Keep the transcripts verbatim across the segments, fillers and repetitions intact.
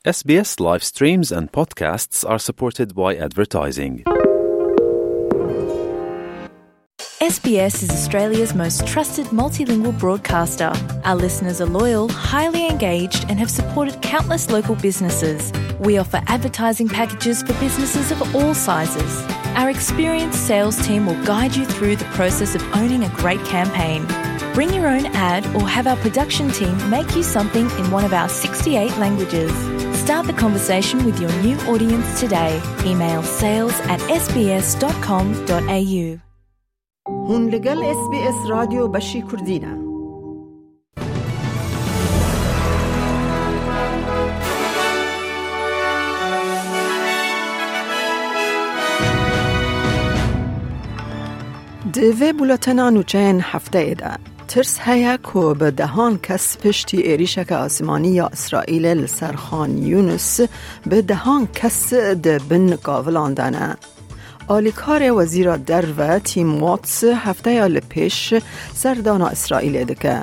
S B S live streams and podcasts are supported by advertising. S B S is Australia's most trusted multilingual broadcaster. Our listeners are loyal, highly engaged, and have supported countless local businesses. We offer advertising packages for businesses of all sizes. Our experienced sales team will guide you through the process of owning a great campaign. Bring your own ad or have our production team make you something in one of our sixty-eight languages. Start the conversation with your new audience today. Email sales at S B S dot com dot A U. Hûn li gel S B S Radyo Beşî Kurdî ne. Di vê buletena nûçeyên hefteyê de, tirs heye ku bi dehan kes piştî êrîşeke asmanî ya Îsraîlê li ser Xan Yûnis, bi dehan kes di bin kavilan de ne. Alîkarê Wezîra Derve Tim Watts hefteya li pêş serdana Îsraîlê dike.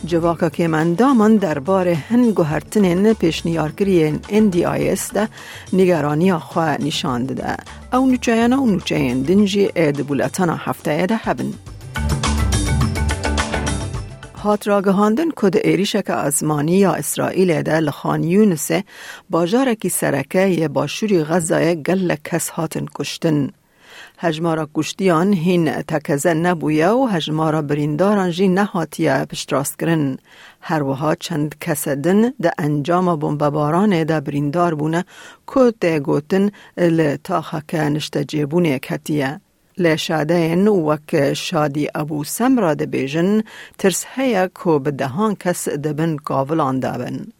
Civaka kêmendaman derbarê hin guhertinên pêşniyarkirî yên N D I S de nîgeraniya xwe nîşan dide. Ew nûçeyana û nûçeyên din jî ê di buletana hefteyê de hebin. Hat ragihandin ku di êrîşeke asmanî ya Îsraîlê de li Xan Yûnisê, bajarekî sereke yê başûrî Xezayê, gelek kes hatin kuştin. Hejmara kuştiyan hîn tekeze nebûye û hejmara birîndaran jî nehatiye piştrastkirin. Her wiha çend kese din di encama bombebaranê de birîndar bûne ku tê gotin li taxeke niştecêbûnê ketiye. Lê şadeyên wek Şadî Ebû Semra dibêjin, tirs heye ku bi dehan kes di bin kavilan de bin.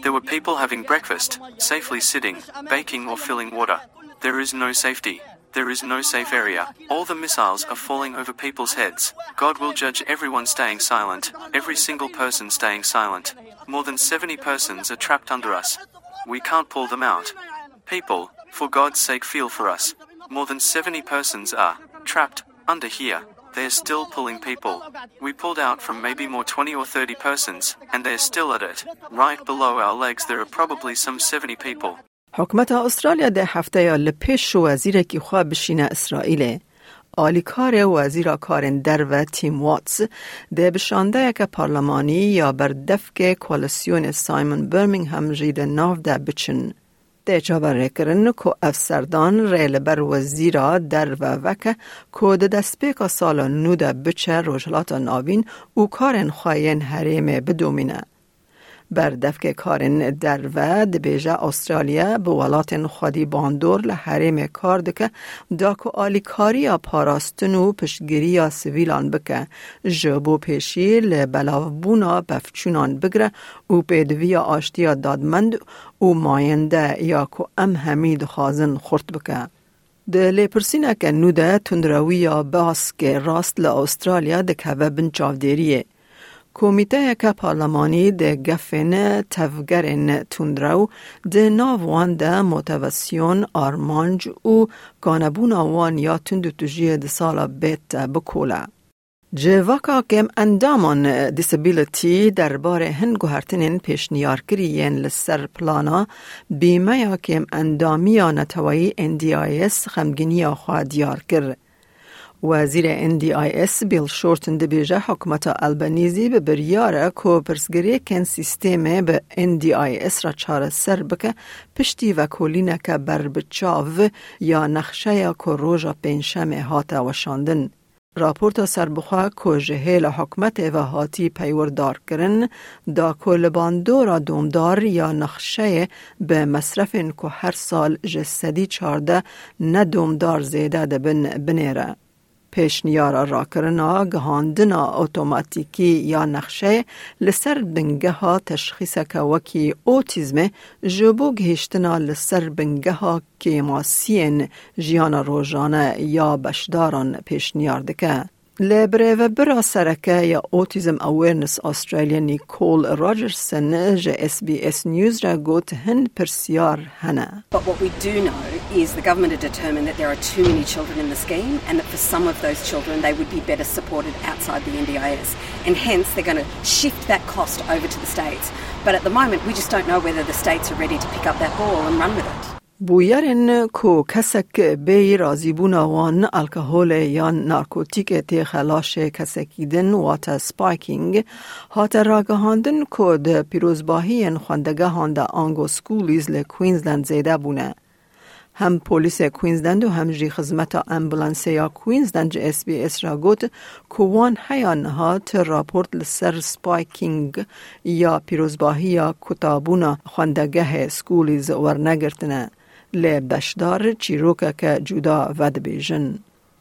There were people having breakfast, safely sitting, baking or filling water. There is no safety. There is no safe area. All the missiles are falling over people's heads. God will judge everyone staying silent, every single person staying silent. More than seventy persons are trapped under us. We can't pull them out. People, for God's sake, feel for us. More than seventy persons are trapped under here. They're still pulling people. We pulled out from maybe more twenty or thirty persons, and they're still at it. Right below our legs, there are probably some seventy people. Hikûmeta Astralya dê hefteya li pêş wezîrekî xwe bişîne Îsraîlê. Alîkarê Wezîra Karên Derve Tim Watts dê bi şandeyeke parlemanî ya berdevkê koalîsyonê Simon Birmingham jî di nav de biçin. Tê çaverêkirin ku ev serdan rê li ber Wezîra Derve veke ku di destpêka sala nû de biçe Rojhilata Navîn û karên xwe yên herêmê bidomîne. Berdevkê Karên Derve dibêje, Astralya bi welatên xwedî bandor li herêmê kar dike, da ku alîkariya parastin û piştgiriya sivîlan bike, ji bo pêşî li belavbûna pevçûnan bigire û pêdiviya aştiya dadmend û mayende ya ku em hemî dixwazin xurt bike. Di lêpirsîneke nû de tundrewiya baskê rast li Astralya dikeve bin çavdêriyê. Komîteyeke parlemanî di gefên tevgerên tundrew, di nav wan de motivasyon, armanc û kanebûna wan ya tundûtûjiyê di sala bête bikole. Civaka kêmendaman Disability derbarê hin guhertinên pêşniyarkirî yên li ser plana bîmeya kêmendamiya neteweyî N D I S xemgîniya xwe diyar kir. Wezîrê N D I S Bill Shorten dibêje, hikûmeta Albanîzî bi biryar e ku pirsgirêkên sîstemê bi N D I S re çareser bike, piştî vekolîneke berbiçav ya nexşeya ku roja Pêncşemê hate weşandin. Raporta serbixwe ku ji hêla hikûmetê ve hatî peywirdarkirin, da ku li bandora domdar ya nexşeyê bi mesrefên ku her sal ji sedî çardeh ne domdar zêde dibin, binêre. Pêşniyara rakirina gihandina otomatîkî ya nexşeyê li ser bingeha teşxîseke wekî otîzmê ji bo gihîştina li ser bingeha kêmasiyên jiyana rojane ya beşdaran pêşniyar dike. Li birêvebira sereke ya Autism Awareness Australia Nicole Rogerson ji S B S News re got, hin pirsyar hene. But what we do know is the government are determined that there are too many children in the scheme and that for some of those children they would be better supported outside the N D I S. And hence they're going to shift that cost over to the states. But at the moment, we just don't know whether the states are ready to pick up that ball and run with it. Bûyerên ku kesek bêyî razîbûna wan alkoholê yan narkotîkê têxe laşê kesekî din, wate spiking, hate ragihandin ku di pîrozbahiyên xwendegehan de ango schoolies li Queensland zêde bûne. Hem polîsê Queensland û hem jî xizmeta ambulansê ya Queensland ji S B S re got ku wan heya niha ti raport li ser spiking ya pîrozbahiya kutabûna xwendegehê schoolies wernegirtine, lê beşdar çîrokeke cuda vedibêjin.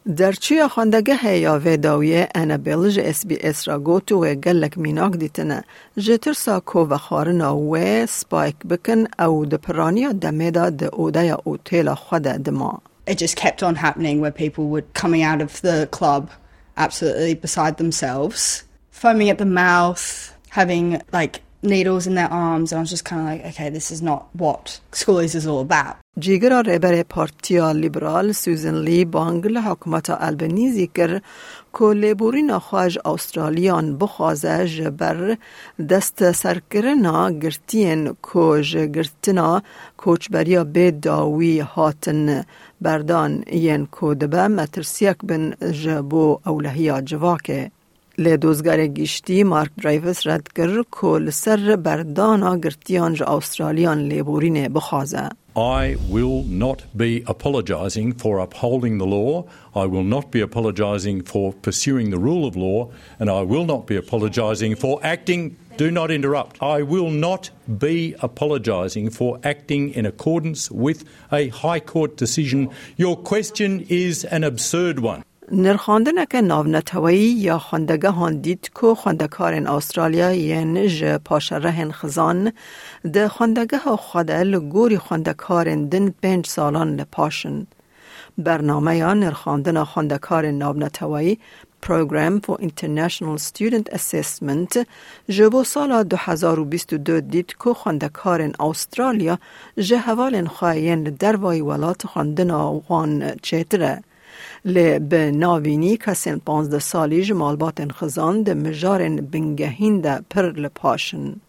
Derçûya xwendegehê ya vê dawiyê Annabel ji S B S re got wê gelek mînak dîtine. Ji tirsa ku vexwarina wê spike bikin, ew di piraniya demê de di odeya otêla xwe de dima. It just kept on happening where people were coming out of the club absolutely beside themselves, foaming at the mouth, having, like, needles in their arms, and I was just kinda like, "Okay, this is not what schoolies is all about." Cîgira rêberê Partiya Liberal Susan Ley bang li hikûmeta Albanese kir ku lêborîna xwe ji Australiyan bixwaze ji ber destserkirina girtiyên ku ji girtina koçberiya bê dawî hatin berdan, yên ku dibe metirsiyek bin ji bo ewlehiya civakê. Lê dozgerê giştî Mark Dreyfus red kir ku li ser berdana girtiyan ji Australiyan lêborînê bixwaze. I will not be apologising for upholding the law. I will not be apologising for pursuing the rule of law, and I will not be apologising for acting. Do not interrupt. I will not be apologising for acting in accordance with a High Court decision. Your question is an absurd one. Nirxandineke navneteweyî ya xwendegehan dît ku xwendekarên Australya yên ji paşerehên xizan di xwendegeha xwe de li gorî xwendekarên din pênc salan li paş in. Bernameya nirxandina xwendekarên navneteweyî, Program for International Student Assessment, ji bo sala du hezar û bîst û du dît ku xwendekarên Australya ji hevalên xwe yên li dervayî welat xwendina wan çêtir e. Lê bi navînî kesên panzdeh salî ji malbatên xizan di mijarên bingehîn de pir li paş in.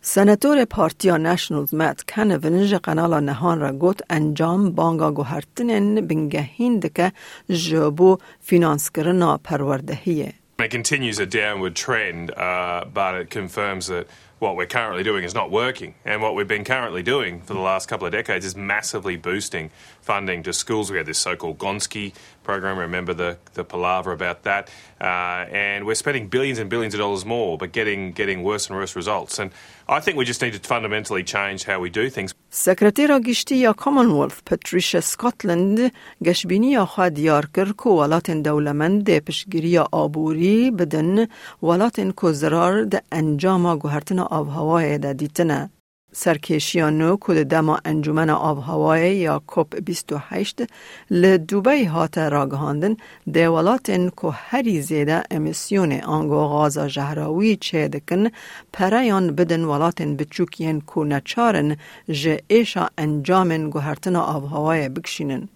Senatorê Partiya Nationals Matt Canavan ji Qenala Nehan re got, encam banga guhertinên bingehîn dike ji bo fînanskirina perwerdehiyê. It continues a downward trend, uh, but it confirms that what we're currently doing is not working. And what we've been currently doing for the last couple of decades is massively boosting funding to schools. We had this so-called Gonski program. Remember the, the palaver about that. Uh, and we're spending billions and billions of dollars more, but getting, getting worse and worse results. And I think we just need to fundamentally change how we do things. Sekretera Giştî ya Commonwealth, Patricia Scotland, geşbîniya xwe diyar kir ku welatên dewlemend dê piştgiriya aborî bidin welatên ku zirar di encama guhertina avhewayê de dîtine. Serkêşiya nû ku di dema Encûmena Avhewayê ya COP bîst û heşt li Dubey hate ragihandin, dê welatên ku herî zêde emîsyonê ango gaza jehrawî çêdikin, pereyan bidin welatên biçûk yên ku neçar in ji êşa encamên guhertina avhewayê bikişînin.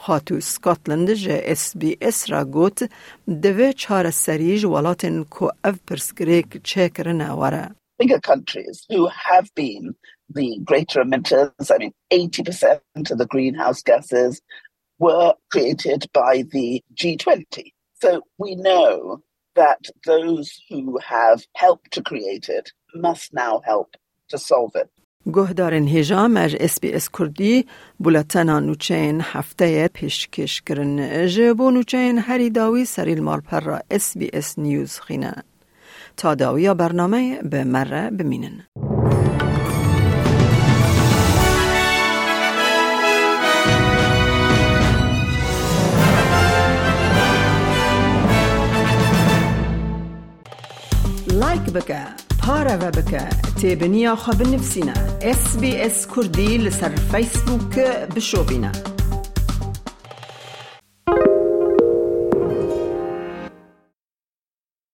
Xatû Scotland ji S B S re got, divê çareserî ji welatên ku ev pirsgirêk çêkirine were. Bigger countries who have been the greater emitters, I mean, eighty percent of the greenhouse gases were created by the G twenty. So we know that those who have helped to create it must now help to solve it. Guhdarên hêja me ji S B S Kurdî buletena nûçeyên hefteyê pêşkêş kirin. Ji bo nûçeyên herî dawî serî li malpera S B S News xîne. Ta dawiya bernameyê bi me re bimînin. Like bike, pareve bike, têbiniya xwe binivîsîne. S B S Kurdî li ser Facebook bişopîne.